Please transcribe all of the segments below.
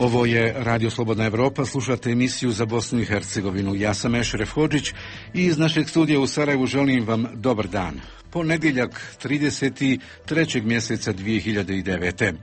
Ovo je Radio Slobodna Evropa, slušate emisiju za Bosnu i Hercegovinu. Ja sam Ešref Hodžić i iz našeg studija u Sarajevu želim vam dobar dan. Ponedjeljak 33. mjeseca 2009.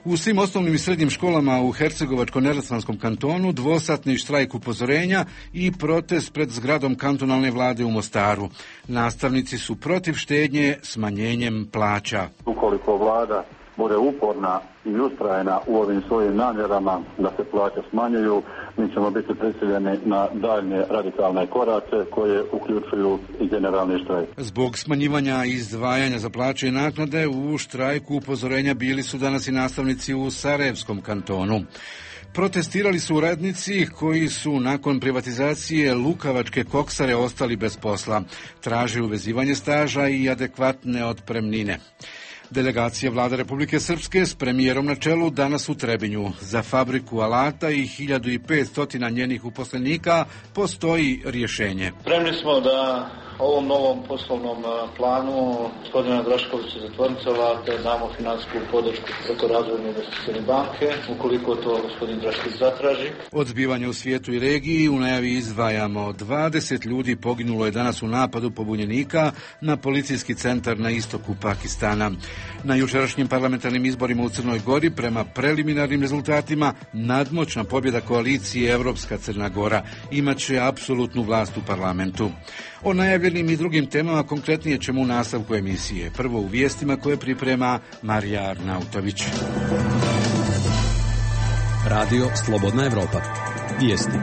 U svim osnovnim i srednjim školama u Hercegovačko-neretvanskom kantonu dvosatni štrajk upozorenja i protest pred zgradom kantonalne vlade u Mostaru. Nastavnici su protiv štednje smanjenjem plaća. Ukoliko vlada bude uporna i ustrajna u ovim svojim namjerama da se plaće smanjuju, mi ćemo biti prisiljeni na daljnje radikalne korake koje uključuju i generalni štrajk. Zbog smanjivanja izdvajanja za plaće i naknade u štrajku upozorenja bili su danas i nastavnici u Sarajevskom kantonu. Protestirali su radnici koji su nakon privatizacije lukavačke koksare ostali bez posla. Traže uvezivanje staža i adekvatne otpremnine. Delegacija Vlade Republike Srpske s premijerom na čelu danas u Trebinju. Za fabriku alata i 1500 njenih uposlenika postoji rješenje. Spremni smo da ovom novom poslovnom planu gospodina Draškovića za tvornicu alata damo finansijsku podršku preko Razvojne investicione banke, ukoliko to gospodin Drašković zatraži. Od zbivanja u svijetu i regiji u najavi izdvajamo 20 ljudi poginulo je danas u napadu pobunjenika na policijski centar na istoku Pakistana. Na jučerašnjim parlamentarnim izborima u Crnoj Gori prema preliminarnim rezultatima nadmoćna pobjeda koalicije Evropska Crna Gora imaće apsolutnu vlast u parlamentu. O najavljenim i drugim temama konkretnije ćemo u nastavku emisije. Prvo u vijestima koje priprema Marija Arnautović. Radio Slobodna Evropa. Vijesti.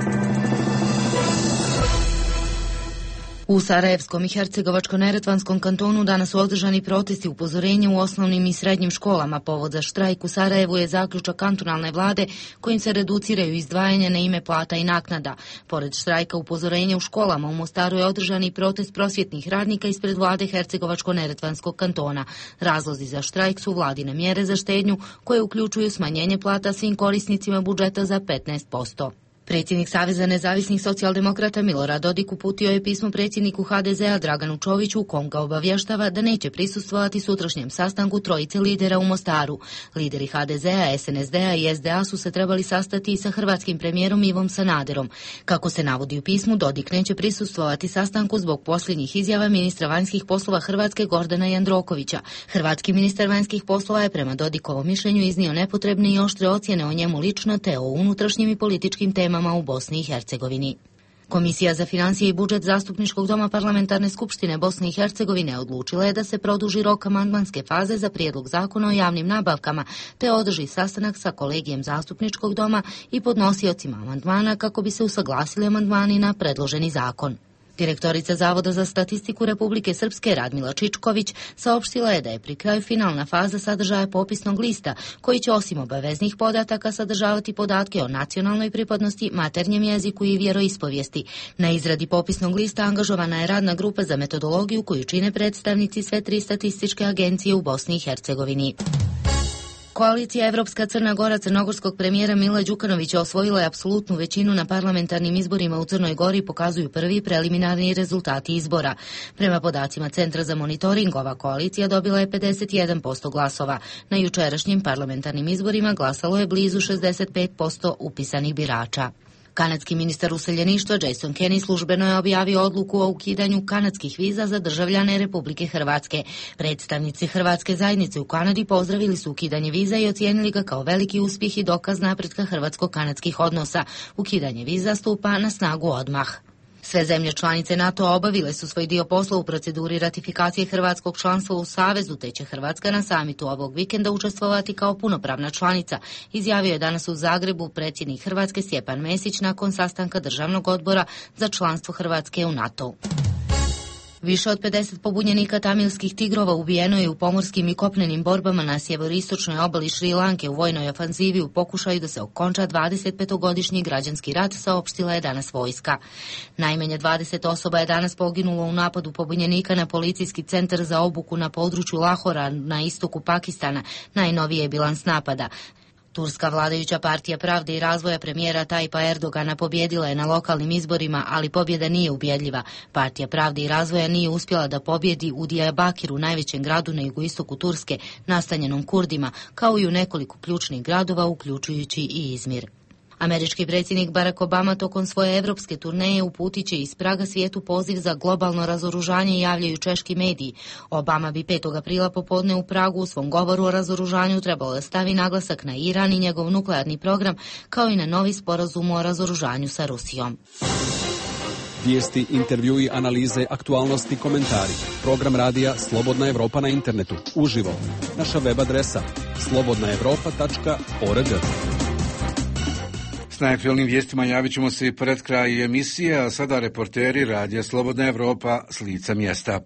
U Sarajevskom i Hercegovačko-neretvanskom kantonu danas su održani protesti upozorenja u osnovnim i srednjim školama. Povod za štrajk u Sarajevu je zaključak kantonalne vlade kojim se reduciraju izdvajanja na ime plata i naknada. Pored štrajka upozorenja u školama, u Mostaru je održan i protest prosvjetnih radnika ispred vlade Hercegovačko-neretvanskog kantona. Razlozi za štrajk su vladine mjere za štednju koje uključuju smanjenje plata svim korisnicima budžeta za 15%. Predsjednik Saveza nezavisnih socijaldemokrata Milorad Dodik uputio je pismo predsjedniku HDZ-a Draganu Čoviću u kom ga obavještava da neće prisustvovati sutrašnjem sastanku trojice lidera u Mostaru. Lideri HDZ-a, SNSD-a i SDA su se trebali sastati i sa hrvatskim premijerom Ivom Sanaderom. Kako se navodi u pismu, Dodik neće prisustvovati sastanku zbog posljednjih izjava ministra vanjskih poslova Hrvatske Gordana Jandrokovića. Hrvatski ministar vanjskih poslova je prema Dodikovom mišljenju iznio nepotrebne i oštre ocjene o njemu lično te o unutrašnjim i političkim temama u Bosni i Hercegovini. Komisija za financije i budžet Zastupničkog doma Parlamentarne skupštine Bosne i Hercegovine odlučila je da se produži rok amandmanske faze za prijedlog zakona o javnim nabavkama, te održi sastanak sa kolegijem Zastupničkog doma i podnosiocima amandmana kako bi se usaglasili amandmani na predloženi zakon. Direktorica Zavoda za statistiku Republike Srpske Radmila Čičković saopštila je da je pri kraju finalna faza sadržaja popisnog lista, koji će osim obaveznih podataka sadržavati podatke o nacionalnoj pripadnosti, maternjem jeziku i vjeroispovijesti. Na izradi popisnog lista angažovana je radna grupa za metodologiju koju čine predstavnici sve 3 statističke agencije u Bosni i Hercegovini. Koalicija Evropska Crna Gora crnogorskog premijera Mila Đukanovića osvojila je apsolutnu većinu na parlamentarnim izborima u Crnoj Gori, pokazuju prvi preliminarni rezultati izbora. Prema podacima Centra za monitoring, ova koalicija dobila je 51% glasova. Na jučerašnjim parlamentarnim izborima glasalo je blizu 65% upisanih birača. Kanadski ministar useljeništva Jason Kenney službeno je objavio odluku o ukidanju kanadskih viza za državljane Republike Hrvatske. Predstavnici hrvatske zajednice u Kanadi pozdravili su ukidanje viza i ocijenili ga kao veliki uspjeh i dokaz napretka hrvatsko-kanadskih odnosa. Ukidanje viza stupa na snagu odmah. Sve zemlje članice NATO obavile su svoj dio posla u proceduri ratifikacije hrvatskog članstva u Savezu, te će Hrvatska na samitu ovog vikenda učestvovati kao punopravna članica, izjavio je danas u Zagrebu predsjednik Hrvatske Stjepan Mesić nakon sastanka Državnog odbora za članstvo Hrvatske u NATO. Više od 50 pobunjenika tamilskih tigrova ubijeno je u pomorskim i kopnenim borbama na sjeveroistočnoj obali Šri Lanke u vojnoj ofanzivi u pokušaju da se okonča 25-godišnji građanski rat, saopštila je danas vojska. Najmanje 20 osoba je danas poginulo u napadu pobunjenika na policijski centar za obuku na području Lahora na istoku Pakistana, najnoviji je bilans napada. Turska vladajuća partija Pravde i razvoja premijera Tajpa Erdogana pobjedila je na lokalnim izborima, ali pobjeda nije ubjedljiva. Partija Pravde i razvoja nije uspjela da pobjedi u Diyarbakiru, najvećem gradu na jugoistoku Turske, nastanjenom Kurdima, kao i u nekoliko ključnih gradova, uključujući i Izmir. Američki predsjednik Barack Obama tokom svoje evropske turneje uputit će iz Praga svijetu poziv za globalno razoružanje, javljaju češki mediji. Obama bi 5. aprila popodne u Pragu u svom govoru o razoružanju trebalo da stavi naglasak na Iran i njegov nuklearni program, kao i na novi sporazum o razoružanju sa Rusijom. Vijesti, intervjui, analize, aktualnosti, komentari. Program radija Slobodna Evropa na internetu. Uživo. Naša web adresa slobodnaevropa.org. S najaktualnim vijestima javit ćemo se i pred kraj emisije, a sada reporteri radija Slobodna Evropa s lica mjesta.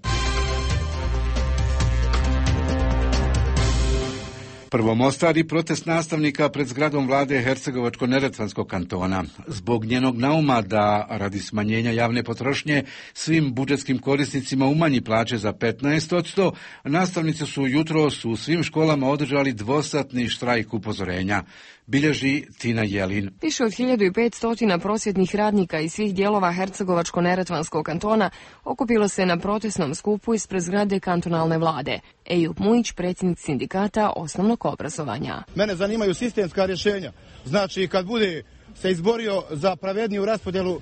Prvo Mostar i protest nastavnika pred zgradom vlade Hercegovačko-neretvanskog kantona. Zbog njenog nauma da radi smanjenja javne potrošnje svim budžetskim korisnicima umanji plaće za 15%, nastavnici su jutros u svim školama održali dvosatni štrajk upozorenja. Bilježi Tina Jelin. Više od 1500 prosvjetnih radnika iz svih dijelova Hercegovačko-neretvanskog kantona okupilo se na protestnom skupu ispred zgrade kantonalne vlade. Ejup Mujić, predsjednik sindikata osnovnog obrazovanja. Mene zanimaju sistemska rješenja. Znači, kad bude se izborio za pravedniju raspodjelu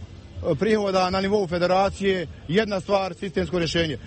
prihoda na nivou federacije, jedna stvar, sistemsko rješenje.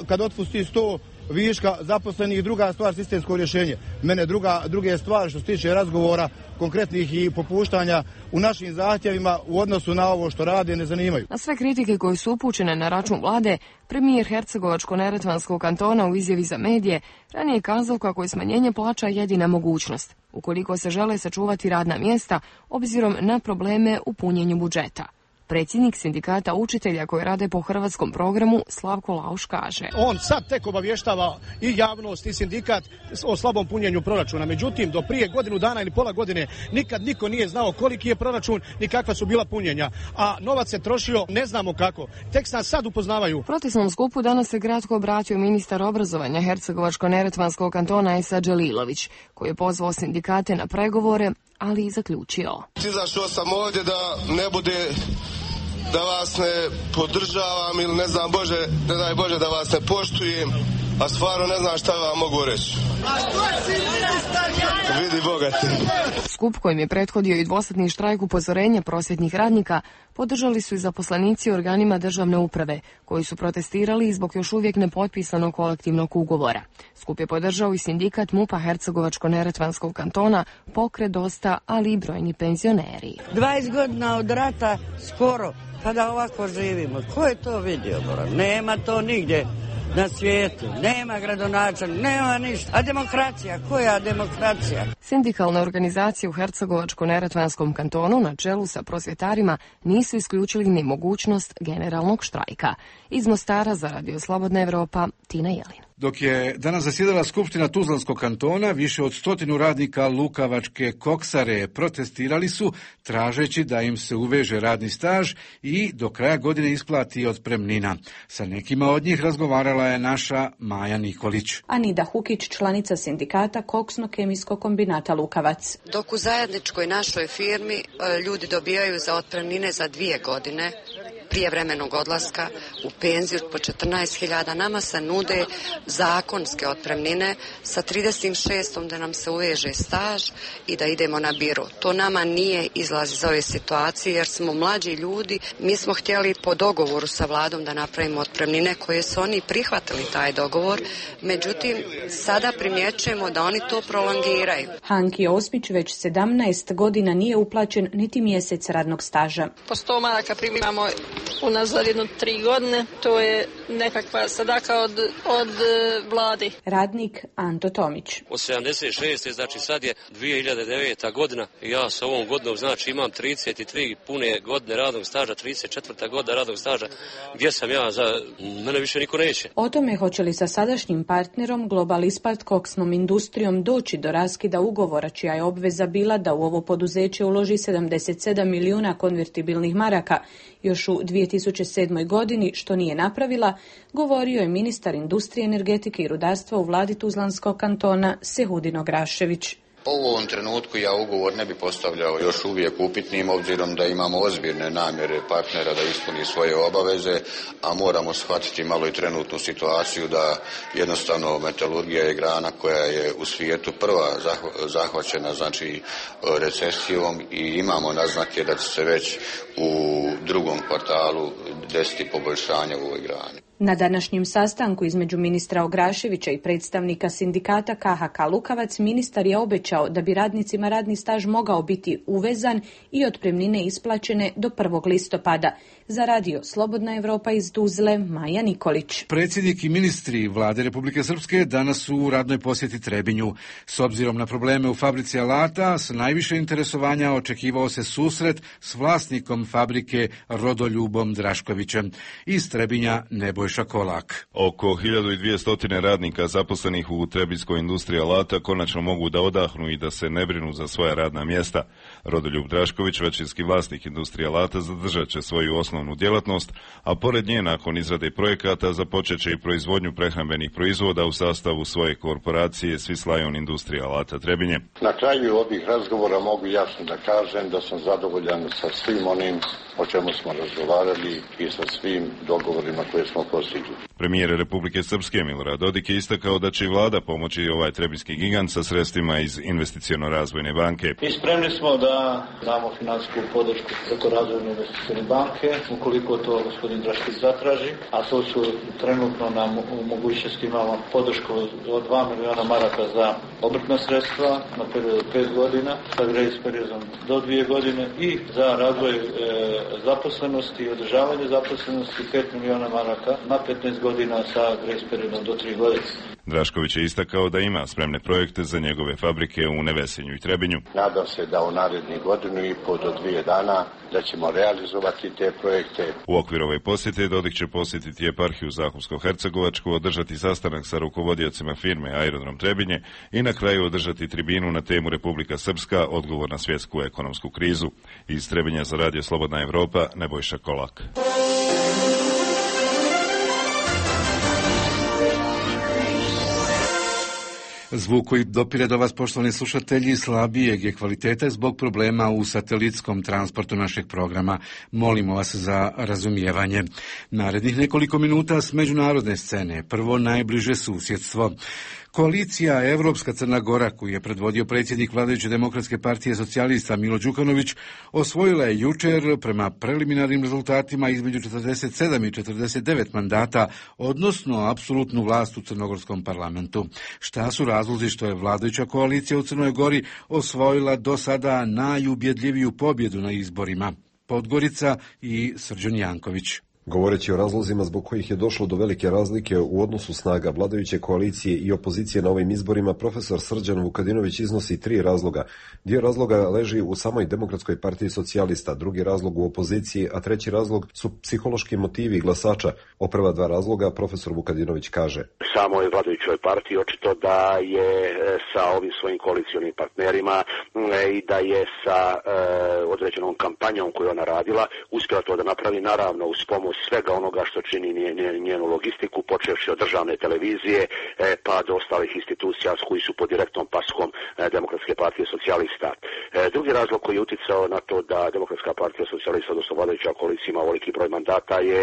Kad otpusti 100 viška zaposlenih, druga stvar, sistemsko rješenje. Mene druge stvari što se tiče razgovora konkretnih i popuštanja u našim zahtjevima u odnosu na ovo što rade ne zanimaju. Na sve kritike koje su upućene na račun vlade, premijer Hercegovačko-neretvanskog kantona u izjavi za medije ranije kazao kako je smanjenje plaća jedina mogućnost, ukoliko se žele sačuvati radna mjesta obzirom na probleme u punjenju budžeta. Predsjednik sindikata učitelja koji rade po hrvatskom programu Slavko Lauš kaže: On sad tek obavještava i javnost i sindikat o slabom punjenju proračuna. Međutim, do prije godinu dana ili pola godine nikad niko nije znao koliki je proračun ni kakva su bila punjenja. A novac se trošio ne znamo kako. Tek nas sad upoznavaju. U protestnom skupu danas se kratko obratio ministar obrazovanja Hercegovačko-neretvanskog kantona Esa Đelilović, koji je pozvao sindikate na pregovore, ali i zaključio: Izašao sam ovdje da ne bude da vas ne podržavam ili ne znam ne daj Bože da vas ne poštujem, a stvarno ne znam šta vam mogu reći. Vidi bogati. Skup kojim je prethodio i dvosatni štrajk upozorenja prosvjetnih radnika podržali su i zaposlenici u organima državne uprave, koji su protestirali zbog još uvijek nepotpisanog kolektivnog ugovora. Skup je podržao i sindikat MUP-a Hercegovačko-neretvanskog kantona, Pokret Dosta, ali i brojni penzioneri. 20 godina od rata skoro, pa da ovako živimo. Ko je to vidio? Nema to nigdje na svijetu. Nema gradonačelnika, nema ništa. A demokracija? Koja demokracija? Sindikalne organizacije u Hercegovačko-neretvanskom kantonu na čelu sa prosvjetarima nisu isključili ni mogućnost generalnog štrajka. Iz Mostara za Radio Slobodna Evropa, Tina Jelin. Dok je danas zasjedala Skupština Tuzlanskog kantona, više od 100 radnika Lukavačke koksare protestirali su tražeći da im se uveže radni staž i do kraja godine isplati otpremnina. Sa nekima od njih razgovarala je naša Maja Nikolić. Anida Hukić, članica sindikata Koksno-kemijskog kombinata Lukavac. Dok u zajedničkoj našoj firmi ljudi dobijaju za otpremnine za 2 godine prijevremenog odlaska u penziju po 14.000, nama se nude zakonske otpremnine sa 36. da nam se uveže staž i da idemo na biro. To nama nije izlaz iz ove situacije jer smo mlađi ljudi. Mi smo htjeli po dogovoru sa vladom da napravimo otpremnine koje su oni prihvatili taj dogovor, međutim sada primjećujemo da oni to prolongiraju. Hanki Osmić već 17 godina nije uplaćen niti mjesec radnog staža. Po 100 maraka primamo unazad 3 godine, to je nekakva sadaka od vladi. Radnik Anto Tomić. Od 76. znači sad je 2009. godina i ja sa ovom godinom znači imam 33 pune godine radnog staža, 34. godina radnog staža. Gdje sam ja? Za mene više niko neće. O tome hoće li sa sadašnjim partnerom Global Ispalt koksnom industrijom doći do raskida ugovora čija je obveza bila da u ovo poduzeće uloži 77 milijuna konvertibilnih maraka još u 2007. godini, što nije napravila, govorio je ministar industrije, energetike i rudarstva u vladi Tuzlanskog kantona Sehudin Ograšević. U ovom trenutku ja ugovor ne bi postavljao još uvijek upitnim, obzirom da imamo ozbiljne namjere partnera da ispuni svoje obaveze, a moramo shvatiti malo i trenutnu situaciju da jednostavno metalurgija je grana koja je u svijetu prva zahvaćena, znači recesijom, i imamo naznake da će se već u drugom kvartalu desiti poboljšanje u ovoj grani. Na današnjem sastanku između ministra Ograševića i predstavnika sindikata KHK Lukavac, ministar je obećao da bi radnicima radni staž mogao biti uvezan i otpremnine isplaćene do 1. listopada. Za radio Slobodna Evropa iz Tuzle, Maja Nikolić. Predsjednik i ministri vlade Republike Srpske danas su u radnoj posjeti Trebinju. S obzirom na probleme u fabrici alata, s najviše interesovanja očekivao se susret s vlasnikom fabrike Rodoljubom Draškovićem. Iz Trebinja Nebojša Kolak. Oko 1200 radnika zaposlenih u trebinjskoj industriji alata konačno mogu da odahnu i da se ne brinu za svoja radna mjesta. Rodoljub Drašković, većinski vlasnik industrije alata, zadržat će svoju osnovnu djelatnost, a pored nje nakon izrade projekata započet će i proizvodnju prehrambenih proizvoda u sastavu svoje korporacije Swiss Lion Industrija alata Trebinje. Na kraju ovih razgovora mogu jasno da kažem da sam zadovoljan sa svim onim o čemu smo razgovarali i sa svim dogovorima koje smo postigli. Premijer Republike Srpske Milorad Dodik je istakao da će i vlada pomoći ovaj trebinjski gigant sa sredstvima iz Investiciono-razvojne banke. I spremni smo da damo financijsku podršku preko Razvojne investicione banke, ukoliko to gospodin Draškić zatraži, a to su trenutno nam u mogućnosti imamo podršku od 2 miliona maraka za obrtna sredstva na period 5 godina, sa grace periodom do 2 godine i za razvoj zaposlenosti i održavanje zaposlenosti 5 miliona maraka na 15 godina sa grace periodom do 3 godine. Drašković je istakao da ima spremne projekte za njegove fabrike u Nevesinju i Trebinju. Nadam se da u narednih godinu i pol do 2 dana da ćemo realizovati te projekte. U okviru ove posjete Dodik će posjetiti eparhiju Zahumsko-Hercegovačku, održati sastanak sa rukovodiocima firme Aerodrom Trebinje i na kraju održati tribinu na temu Republika Srpska, odgovor na svjetsku ekonomsku krizu. Iz Trebinja za radio Slobodna Evropa, Nebojša Kolak. Zvuk koji dopire do vas, poštovani slušatelji, slabijeg je kvaliteta zbog problema u satelitskom transportu našeg programa. Molimo vas za razumijevanje. Narednih nekoliko minuta s međunarodne scene. Prvo najbliže susjedstvo. Koalicija Evropska Crna Gora, koju je predvodio predsjednik vladajuće demokratske partije socijalista Milo Đukanović, osvojila je jučer prema preliminarnim rezultatima između 47 i 49 mandata, odnosno apsolutnu vlast u crnogorskom parlamentu. Šta su razlozi što je vladajuća koalicija u Crnoj Gori osvojila do sada najubjedljiviju pobjedu na izborima? Podgorica i Srđan Janković. Govoreći o razlozima zbog kojih je došlo do velike razlike u odnosu snaga vladajuće koalicije i opozicije na ovim izborima, profesor Srđan Vukadinović iznosi 3 razloga. Dio razloga leži u samoj Demokratskoj partiji socijalista, drugi razlog u opoziciji, a treći razlog su psihološki motivi glasača. O prva 2 razloga profesor Vukadinović kaže: samoj vladajućoj partiji očito da je sa ovim svojim koalicionim partnerima i da je sa određenom kampanjom koju ona radila uspjela to da napravi, naravno uz pomoć svega onoga što čini njenu logistiku, počevši od državne televizije pa do ostalih institucija koji su pod direktnom paskom Demokratske partije socijalista. Drugi razlog koji je uticao na to da Demokratska partija socijalista, odnosno vladajuća koalicija, ima veliki broj mandata je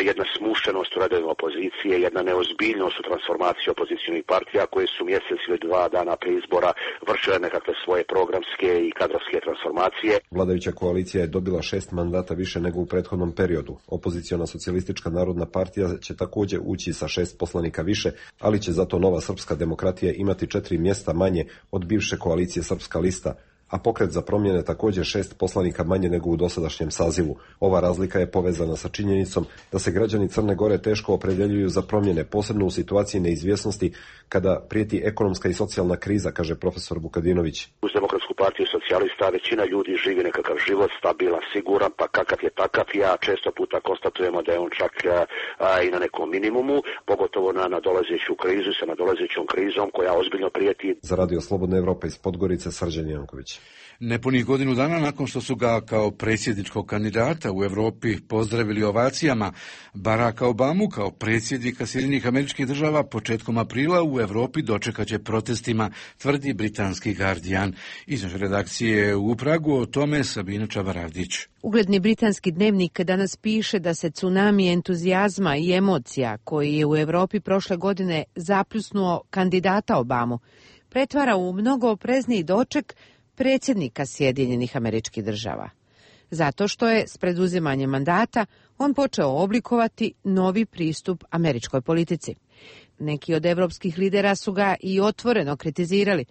jedna smušenost u redovima opozicije, jedna neozbiljnost u transformaciji opozicijnih partija koje su mjesec ili 2 dana prije izbora vršile nekakve svoje programske i kadrovske transformacije. Vladajuća koalicija je dobila 6 mandata više nego u prethodnom periodu. Opoziciona socijalistička narodna partija će također ući sa 6 poslanika više, ali će zato Nova srpska demokratija imati 4 mjesta manje od bivše koalicije Srpska lista, a Pokret za promjene također 6 poslanika manje nego u dosadašnjem sazivu. Ova razlika je povezana sa činjenicom da se građani Crne Gore teško opredjeljuju za promjene, posebno u situaciji neizvjesnosti kada prijeti ekonomska i socijalna kriza, kaže profesor Vukadinović. Uz Demokratsku partiju socijalista većina ljudi živi nekakav život, stabilan, siguran, pa kakav je takav. Ja često puta konstatujemo da je on čak i na nekom minimumu, pogotovo na nadolazeću krizu sa nadolazećom krizom koja ozbiljno prijeti. Za Radio Slobodna Evropa iz Podgorice, Srđan Janković. Nepunih godinu dana nakon što su ga kao predsjedničkog kandidata u Europi pozdravili ovacijama, Baracka Obamu kao predsjednika Sjedinjenih Američkih Država početkom aprila u Europi dočekaće protestima, tvrdi britanski Guardian. Iz naše redakcije u Pragu o tome Sabina Čavaradić. Ugledni britanski dnevnik danas piše da se tsunami entuzijazma i emocija koji je u Europi prošle godine zapljusnuo kandidata Obamu pretvara u mnogo oprezniji doček predsjednika Sjedinjenih Američkih Država. Zato što je s preduzimanjem mandata on počeo oblikovati novi pristup američkoj politici. Neki od evropskih lidera su ga i otvoreno kritizirali.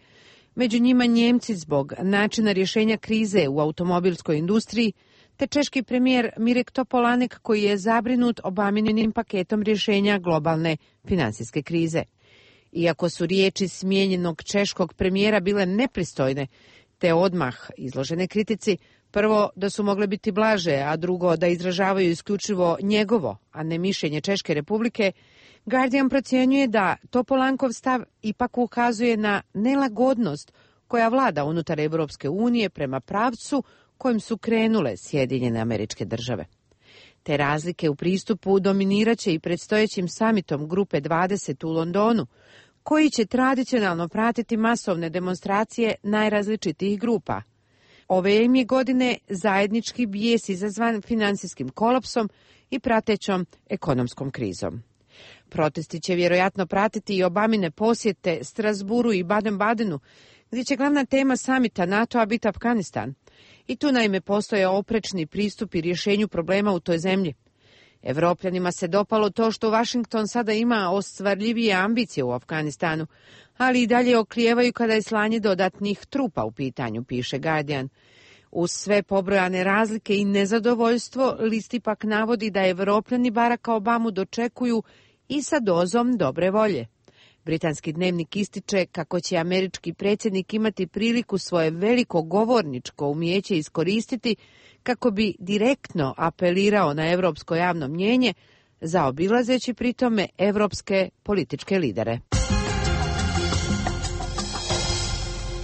Među njima Njemci zbog načina rješenja krize u automobilskoj industriji, te češki premijer Mirek Topolanek koji je zabrinut Obaminim paketom rješenja globalne finansijske krize. Iako su riječi smijenjenog češkog premijera bile nepristojne, te odmah izložene kritici, prvo da su mogle biti blaže, a drugo da izražavaju isključivo njegovo, a ne mišljenje Češke republike, Guardian procjenjuje da Topolankov stav ipak ukazuje na nelagodnost koja vlada unutar Europske unije prema pravcu kojim su krenule Sjedinjene Američke Države. Te razlike u pristupu dominiraće i predstojećim samitom Grupe 20 u Londonu, koji će tradicionalno pratiti masovne demonstracije najrazličitijih grupa. Ove im je godine zajednički bijes izazvan financijskim kolapsom i pratećom ekonomskom krizom. Protesti će vjerojatno pratiti i Obamine posjete Strasburu i Baden-Badenu, gdje će glavna tema samita NATO-a biti Afganistan. I tu naime postoje oprečni pristupi rješenju problema u toj zemlji. Evropljanima se dopalo to što Washington sada ima ostvarljivije ambicije u Afganistanu, ali i dalje oklijevaju kada je slanje dodatnih trupa u pitanju, piše Guardian. Uz sve pobrojane razlike i nezadovoljstvo, list ipak navodi da Evropljani Baracka Obamu dočekuju i sa dozom dobre volje. Britanski dnevnik ističe kako će američki predsjednik imati priliku svoje veliko govorničko umijeće iskoristiti kako bi direktno apelirao na europsko javno mnijenje, zaobilazeći pritome evropske političke lidere.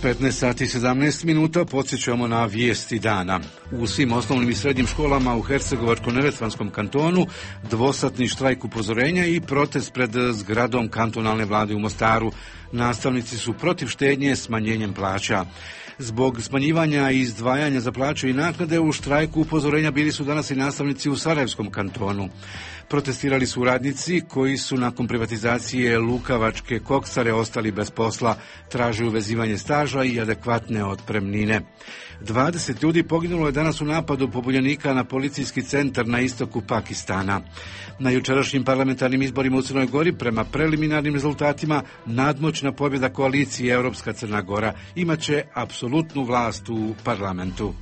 15 sati 17 minuta podsjećamo na vijesti dana. U svim osnovnim i srednjim školama u Hercegovačko-neretvanskom kantonu dvosatni štrajk upozorenja i protest pred zgradom kantonalne vlade u Mostaru. Nastavnici su protiv štednje smanjenjem plaća. Zbog smanjivanja i izdvajanja za plaće i naknade u štrajku upozorenja bili su danas i nastavnici u Sarajevskom kantonu. Protestirali su radnici koji su nakon privatizacije Lukavačke koksare ostali bez posla, traže uvezivanje staža i adekvatne otpremnine. 20 ljudi poginulo je danas u napadu pobunjenika na policijski centar na istoku Pakistana. Na jučerašnjim parlamentarnim izborima u Crnoj Gori, prema preliminarnim rezultatima, nadmoćna pobjeda koalicije Europska Crna Gora imaće apsolutnu vlast u parlamentu.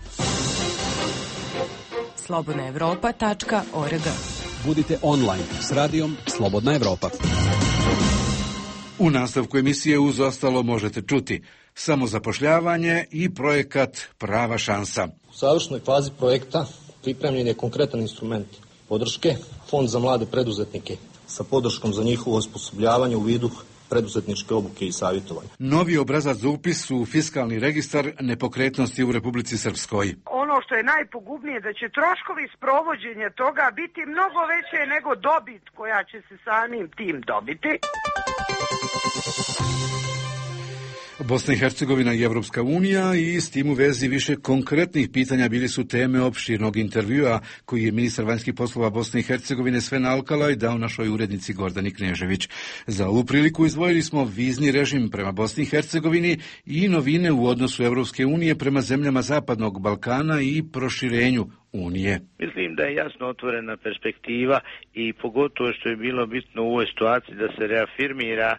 slobodnaevropa.org. Budite online s radijom Slobodna Evropa. U nastavku emisije uz ostalo možete čuti samozapošljavanje i projekat Prava šansa. U završnoj fazi projekta pripremljen je konkretan instrument podrške, Fond za mlade preduzetnike, sa podrškom za njihovo osposobljavanje u vidu preduzetničke obuke i savjetovanja. Novi obrazac za upis u fiskalni registar nepokretnosti u Republici Srpskoj. Ono što je najpogubnije da će troškovi sprovođenja toga biti mnogo veće nego dobit koja će se samim tim dobiti. Bosna i Hercegovina i Evropska unija i s tim u vezi više konkretnih pitanja bili su teme opširnog intervjua koji je ministar vanjskih poslova Bosne i Hercegovine Sven Alkalaj dao našoj urednici Gordani Knežević. Za ovu priliku izdvojili smo vizni režim prema Bosni i Hercegovini i novine u odnosu Evropske unije prema zemljama Zapadnog Balkana i proširenju Unije. Mislim da je jasno otvorena perspektiva i pogotovo što je bilo bitno u ovoj situaciji da se reafirmira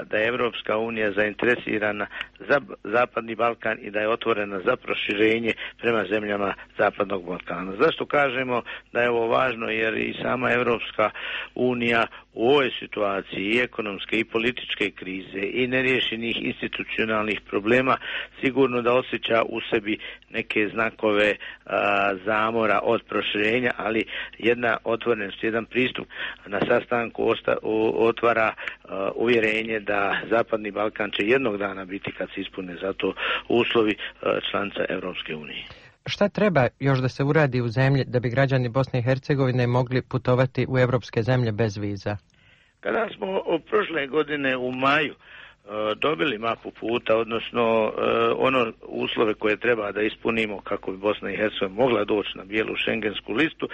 da je Evropska unija zainteresirana za Zapadni Balkan i da je otvorena za proširenje prema zemljama Zapadnog Balkana. Zašto kažemo da je ovo važno? Jer i sama Evropska unija u ovoj situaciji i ekonomske i političke krize i neriješenih institucionalnih problema sigurno da osjeća u sebi neke znakove zamora od proširenja, ali jedna otvorenost, jedan pristup na sastanku otvara uvjerenje da Zapadni Balkan će jednog dana biti, kad se ispune za to uslovi, članica Europske unije. Šta treba još da se uradi u zemlji da bi građani Bosne i Hercegovine mogli putovati u europske zemlje bez viza? Kada smo prošle godine u maju dobili mapu puta, odnosno ono uslove koje treba da ispunimo kako bi Bosna i Hercegovina mogla doći na bijelu šengensku listu,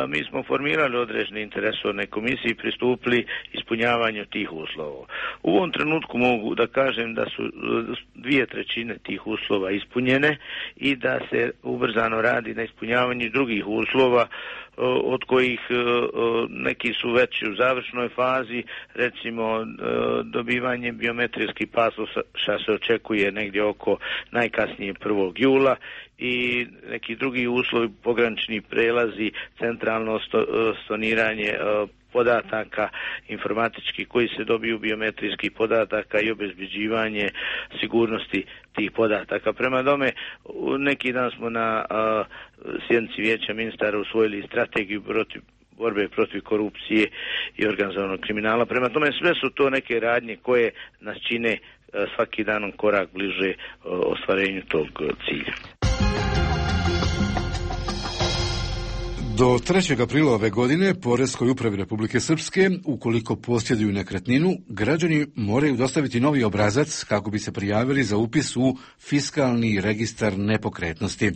mi smo formirali određene interesovne komisije i pristupili ispunjavanju tih uslova. U ovom trenutku mogu da kažem da su 2/3 tih uslova ispunjene i da se ubrzano radi na ispunjavanju drugih uslova, od kojih neki su već u završnoj fazi, recimo dobivanje biometrijskih pasoša se očekuje negdje oko najkasnije 1. jula i neki drugi uslovi, pogranični prelazi, centralno stoniranje podataka informatički koji se dobiju biometrijskih podataka i obezbeđivanje sigurnosti tih podataka. Prema tome, neki dan smo na sjednici Vijeća ministara usvojili strategiju borbe protiv korupcije i organizovanog kriminala. Prema tome, sve su to neke radnje koje nas čine svaki danom korak bliže ostvarenju tog cilja. Do 3. aprila ove godine Poreskoj upravi Republike Srpske, ukoliko posjeduju nekretninu, građani moraju dostaviti novi obrazac kako bi se prijavili za upis u fiskalni registar nepokretnosti.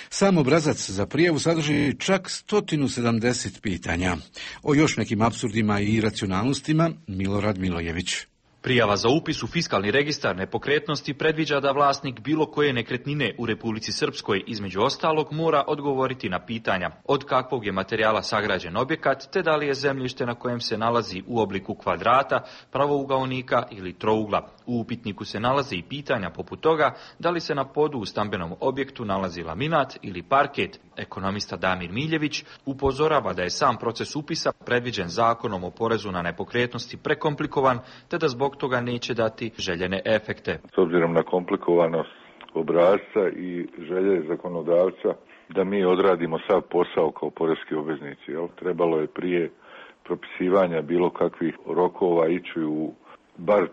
Sam obrazac za prijavu sadrži čak 170 pitanja. O još nekim apsurdima i iracionalnostima Milorad Milojević. Prijava za upis u fiskalni registar nepokretnosti predviđa da vlasnik bilo koje nekretnine u Republici Srpskoj između ostalog mora odgovoriti na pitanja od kakvog je materijala sagrađen objekat, te da li je zemljište na kojem se nalazi u obliku kvadrata, pravougaonika ili trougla. U upitniku se nalaze i pitanja poput toga da li se na podu u stambenom objektu nalazi laminat ili parket. Ekonomista Damir Miljević upozorava da je sam proces upisa predviđen Zakonom o porezu na nepokretnosti prekomplikovan, te da zbog toga neće dati željene efekte. S obzirom na komplikovanost obrasca i želje zakonodavca da mi odradimo sav posao kao poreski obveznici, trebalo je prije propisivanja bilo kakvih rokova ići u bar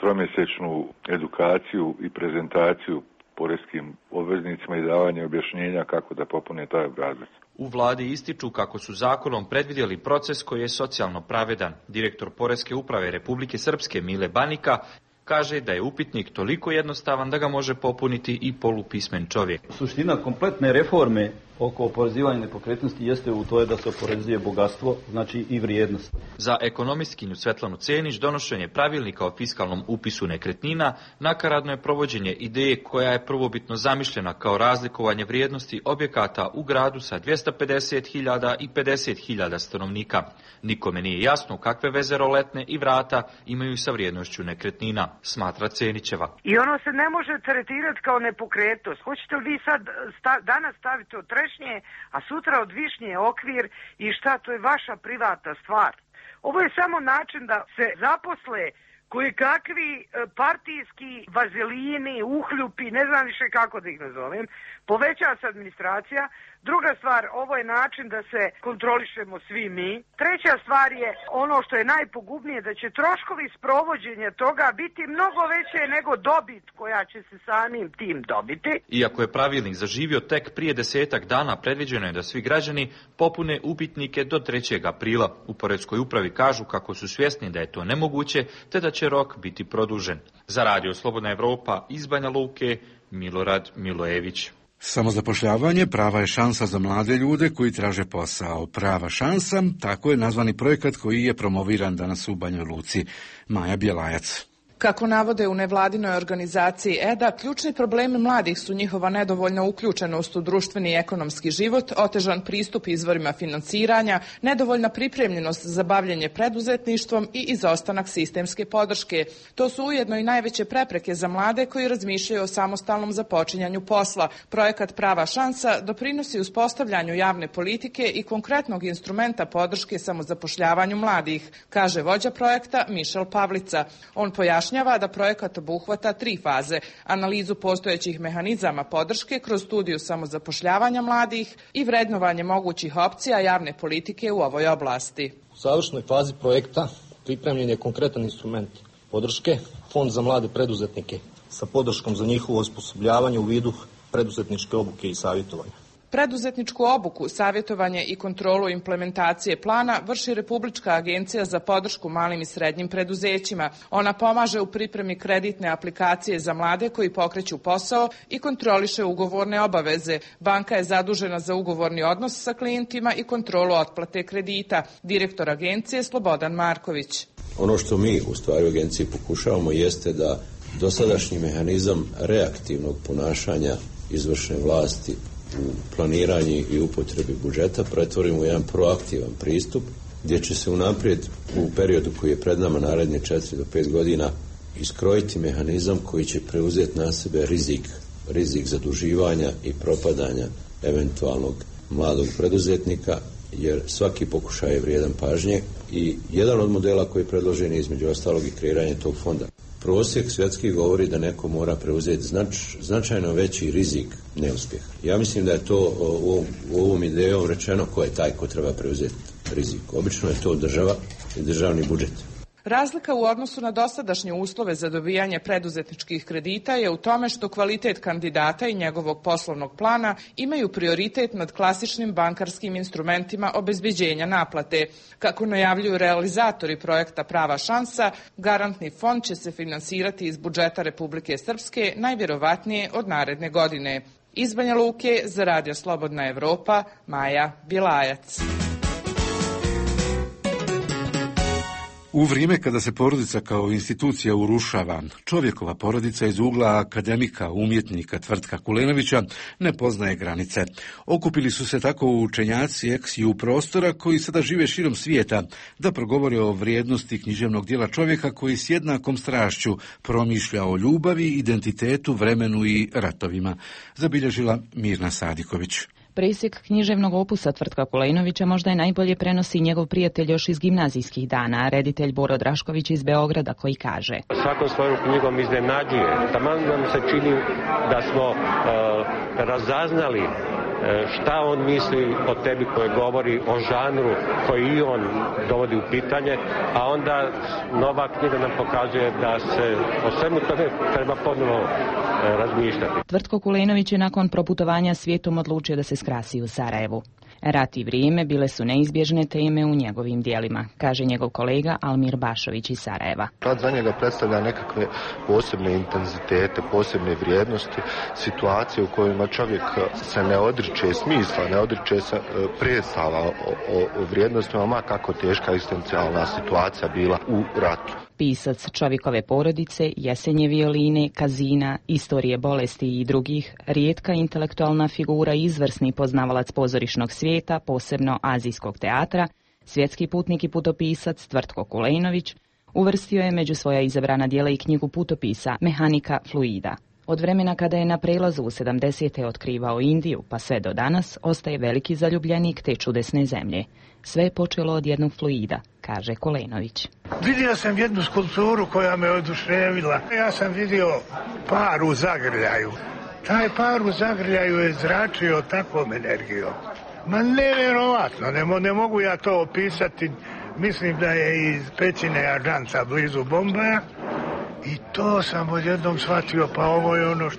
tromjesečnu edukaciju i prezentaciju poreskim obveznicima i davanje objašnjenja kako da popune taj obrazac. U vladi ističu kako su zakonom predvidjeli proces koji je socijalno pravedan. Direktor Poreske uprave Republike Srpske Mile Banika kaže da je upitnik toliko jednostavan da ga može popuniti i polupismen čovjek. Suština kompletne reforme oko oporezivanja nepokretnosti jeste u to da se oporezuje bogatstvo, znači i vrijednost. Za ekonomistkinju Svetlanu Cenić donošenje pravilnika o fiskalnom upisu nekretnina nakaradno je provođenje ideje koja je prvobitno zamišljena kao razlikovanje vrijednosti objekata u gradu sa 250.000 i 50.000 stanovnika. Nikome nije jasno kakve veze roletne i vrata imaju sa vrijednošću nekretnina, smatra Cenićeva. I ono se ne može tretirati kao nepokretnost. Hoćete li vi sad danas staviti od trešnje, a sutra od višnje okvir i šta, to je vaša privatna stvar. Ovo je samo način da se zaposle koji kakvi partijski vazelini, uhljupi, ne znam više kako da ih nazovem, poveća se administracija. Druga stvar, ovo je način da se kontrolišemo svi mi. Treća stvar je ono što je najpogubnije, da će troškovi sprovođenja toga biti mnogo veće nego dobit koja će se samim tim dobiti. Iako je pravilnik zaživio tek prije 10-ak dana, predviđeno je da svi građani popune upitnike do 3. aprila. U Poreskoj upravi kažu kako su svjesni da je to nemoguće, te da će rok biti produžen. Za Radio Slobodna Evropa iz Banja Luke, Milorad Milojević. Samozapošljavanje prava je šansa za mlade ljude koji traže posao. Prava šansa, tako je nazvani projekat koji je promoviran danas u Banjoj Luci. Maja Bjelajac. Kako navode u nevladinoj organizaciji EDA, ključni problemi mladih su njihova nedovoljna uključenost u društveni i ekonomski život, otežan pristup izvorima financiranja, nedovoljna pripremljenost za bavljenje preduzetništvom i izostanak sistemske podrške. To su ujedno i najveće prepreke za mlade koji razmišljaju o samostalnom započinjanju posla. Projekat Prava šansa doprinosi uspostavljanju javne politike i konkretnog instrumenta podrške samozapošljavanju mladih, kaže vođa projekta Mišel Pavlica. On pojašnjava da projekat obuhvata 3 faze: analizu postojećih mehanizama podrške kroz studiju samozapošljavanja mladih i vrednovanje mogućih opcija javne politike u ovoj oblasti. U završnoj fazi projekta pripremljen je konkretan instrument podrške, Fond za mlade preduzetnike sa podrškom za njihovo osposobljavanje u vidu preduzetničke obuke i savjetovanja. Preduzetničku obuku, savjetovanje i kontrolu implementacije plana vrši Republička agencija za podršku malim i srednjim preduzećima. Ona pomaže u pripremi kreditne aplikacije za mlade koji pokreću posao i kontroliše ugovorne obaveze. Banka je zadužena za ugovorni odnos sa klijentima i kontrolu otplate kredita. Direktor agencije Slobodan Marković. Ono što mi u stvari u agenciji pokušavamo jeste da dosadašnji mehanizam reaktivnog ponašanja izvršne vlasti u planiranju i upotrebi budžeta pretvorimo u jedan proaktivan pristup gdje će se unaprijed u periodu koji je pred nama naredne 4 do 5 godina iskrojiti mehanizam koji će preuzeti na sebe rizik zaduživanja i propadanja eventualnog mladog preduzetnika, jer svaki pokušaj je vrijedan pažnje i jedan od modela koji je predložen je između ostalog i kreiranje tog fonda. Prosjek svjetski govori da neko mora preuzeti značajno veći rizik neuspjeha. Ja mislim da je to u ovom idejom rečeno ko je taj ko treba preuzeti rizik. Obično je to država i državni budžet. Razlika u odnosu na dosadašnje uslove za dobijanje preduzetničkih kredita je u tome što kvalitet kandidata i njegovog poslovnog plana imaju prioritet nad klasičnim bankarskim instrumentima obezbeđenja naplate. Kako najavljuju realizatori projekta Prava šansa, garantni fond će se finansirati iz budžeta Republike Srpske najvjerovatnije od naredne godine. Iz Banja Luke za Radio Slobodna Evropa, Maja Bjelajac. U vrijeme kada se porodica kao institucija urušava, čovjekova porodica iz ugla akademika, umjetnika Tvrtka Kulenovića ne poznaje granice. Okupili su se tako učenjaci ex-ju prostora koji sada žive širom svijeta da progovore o vrijednosti književnog dijela čovjeka koji s jednakom strašću promišlja o ljubavi, identitetu, vremenu i ratovima, zabilježila Mirna Sadiković. Presjek književnog opusa Tvrtka Kulenovića možda je najbolje prenosi njegov prijatelj još iz gimnazijskih dana, reditelj Boro Drašković iz Beograda, koji kaže: Svakom svojom knjigom iznenađuje. Taman nam se čini da smo razaznali šta on misli o tebi, koji govori o žanru koji i on dovodi u pitanje, a onda nova knjiga nam pokazuje da se o svemu tome treba ponovo razmišljati. Tvrtko Kulenović je nakon proputovanja svijetom odlučio da se skrasi u Sarajevu. Rat i vrijeme bile su neizbježne teme u njegovim dijelima, kaže njegov kolega Almir Bašović iz Sarajeva. Rat za njega predstavlja nekakve posebne intenzitete, posebne vrijednosti, situacije u kojima čovjek se ne odriče smisla, ne odriče se predstava o vrijednostima, ma kako teška egzistencijalna situacija bila u ratu. Pisac Čovjekove porodice, Jesenje violine, Kazina, Istorije bolesti i drugih, rijetka intelektualna figura i izvrsni poznavalac pozorišnog svijeta, posebno azijskog teatra, svjetski putnik i putopisac Tvrtko Kulenović uvrstio je među svoja izabrana djela i knjigu putopisa Mehanika fluida. Od vremena kada je na prelazu u 70. otkrivao Indiju pa sve do danas, ostaje veliki zaljubljenik te čudesne zemlje. Sve je počelo od jednog fluida, kaže Kulenović. Vidio sam jednu skulpturu koja me oduševila. Ja sam vidio par u zagrljaju. Taj par u zagrljaju je zračio takvom energijom. Ma nevjerovatno, ne mogu ja to opisati. Mislim da je iz pećine Ažanca blizu Bombaja. I to sam odjednom shvatio, pa ovo je ono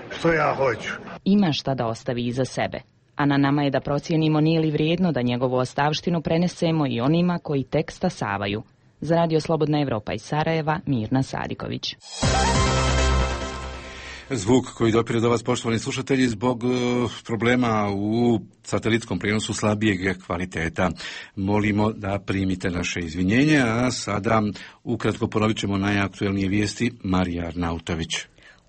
što ja hoću. Ima šta da ostavi iza sebe, a na nama je da procijenimo nije li vrijedno da njegovu ostavštinu prenesemo i onima koji tek stasavaju. Za Radio Slobodna Evropa iz Sarajeva, Mirna Sadiković. Zvuk koji dopire do vas, poštovani slušatelji, zbog problema u satelitskom prijenosu slabijeg kvaliteta. Molimo da primite naše izvinjenje, a sada ukratko ponovit ćemo najaktuelnije vijesti. Marija Arnautović.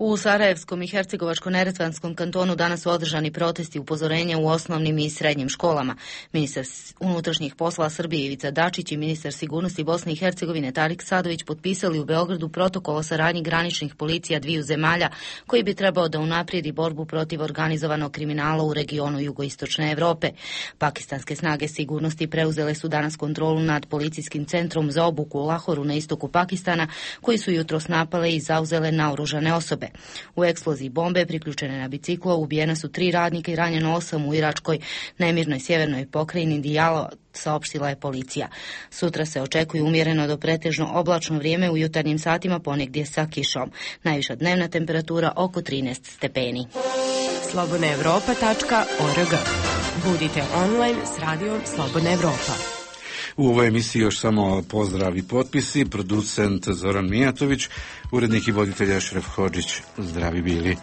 U Sarajevskom i Hercegovačko-neretvanskom kantonu danas su održani protesti upozorenja u osnovnim i srednjim školama. Ministar unutrašnjih poslova Srbije Ivica Dačić i ministar sigurnosti Bosne i Hercegovine Tarik Sadović potpisali u Beogradu protokol o saradnji graničnih policija dviju zemalja koji bi trebao da unaprijedi borbu protiv organizovanog kriminala u regionu jugoistočne Evrope. Pakistanske snage sigurnosti preuzele su danas kontrolu nad policijskim centrom za obuku u Lahoru na istoku Pakistana, koji su jutros napale i zauzele naoružane osobe. U eksploziji bombe priključene na biciklo ubijena su 3 radnika i ranjeno 8 u iračkoj nemirnoj sjevernoj pokrajini Dijalo, saopštila je policija. Sutra se očekuje umjereno do pretežno oblačno vrijeme u jutarnjim satima, ponegdje sa kišom. Najviša dnevna temperatura oko 13 stepeni. slobodnaevropa.org. Budite online s radijom Slobodna Evropa. U ovoj emisiji još samo pozdrav i potpisi, producent Zoran Mijatović, urednik i voditelj Ašref Hodžić. Zdravi bili.